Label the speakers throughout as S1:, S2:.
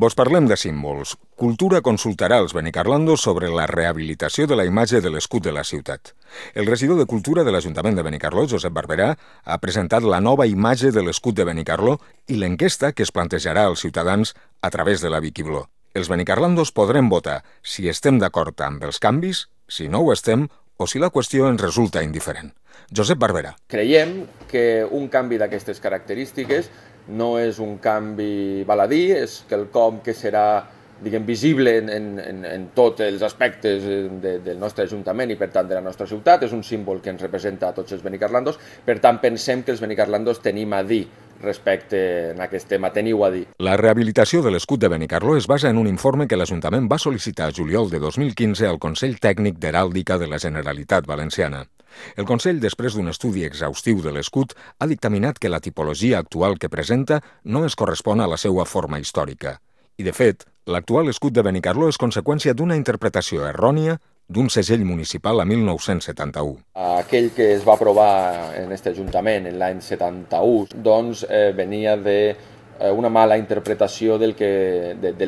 S1: Vos parlem de símbols. Cultura consultarà els benicarlandos sobre la rehabilitació de la imatge de l'escut de la ciutat. El regidor de Cultura de l'Ajuntament de Benicarló, Josep Barberà, ha presentat la nova imatge de l'escut de Benicarló i l'enquesta que es plantejarà als ciutadans a través de la Viquibló. Els benicarlandos podrem votar si estem d'acord amb els canvis, si no ho estem o si la qüestió ens resulta indiferent. Josep Barberà.
S2: Creiem que un canvi d'aquestes característiques no és un canvi baladí, és quelcom que serà, visible en tots els aspectes del nostre Ajuntament i, per tant, de la nostra ciutat. És un símbol que ens representa a tots els benicarlandos. Per tant, pensem que els benicarlandos tenim a dir respecte a aquest tema, teniu a dir.
S1: La rehabilitació de l'escut de Benicarló es basa en un informe que l'Ajuntament va sol·licitar a juliol de 2015 al Consell Tècnic d'Heràldica de la Generalitat Valenciana. El Consell, després d'un estudi exhaustiu de l'escut, ha dictaminat que la tipologia actual que presenta no es correspon a la seva forma històrica. I, de fet, l'actual escut de Benicarló és conseqüència d'una interpretació errònia d'un segell municipal a 1971.
S2: Aquell que es va aprovar en aquest Ajuntament en l'any 71, doncs venia d'una mala interpretació del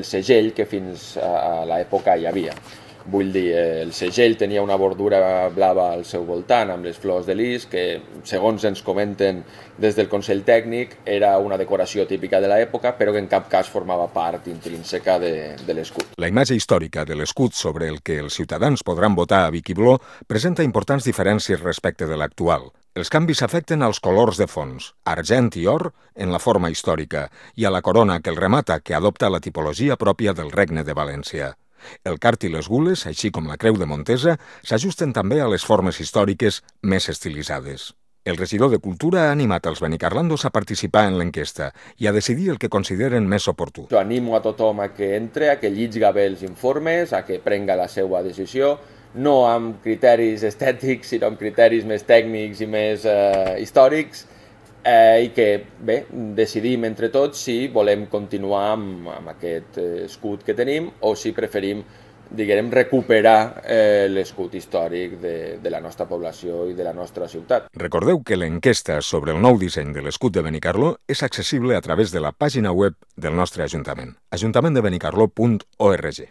S2: segell que fins a l'època hi havia. Vull dir, el segell tenia una bordura blava al seu voltant amb les flors de lis que, segons ens comenten des del Consell Tècnic, era una decoració típica de l'època, però que en cap cas formava part intrínseca de l'escut.
S1: La imatge històrica de l'escut sobre el que els ciutadans podran votar a Viquibló presenta importants diferències respecte de l'actual. Els canvis afecten als colors de fons, argent i or en la forma històrica, i a la corona que el remata, que adopta la tipologia pròpia del Regne de València. El cart i les gules, així com la creu de Montesa, s'ajusten també a les formes històriques més estilitzades. El regidor de Cultura ha animat els benicarlandos a participar en l'enquesta i a decidir el que consideren més oportú.
S2: Jo animo a tothom a que entre, a que llitga bé els informes, a que prenga la seva decisió, no amb criteris estètics, sinó amb criteris més tècnics i més històrics, i que, bé, decidim entre tots si volem continuar amb aquest escut que tenim o si preferim, recuperar l'escut històric de la nostra població i de la nostra ciutat.
S1: Recordeu que l'enquesta sobre el nou disseny de l'escut de Benicarló és accessible a través de la pàgina web del nostre Ajuntament, ajuntamenttdebenicarló.org.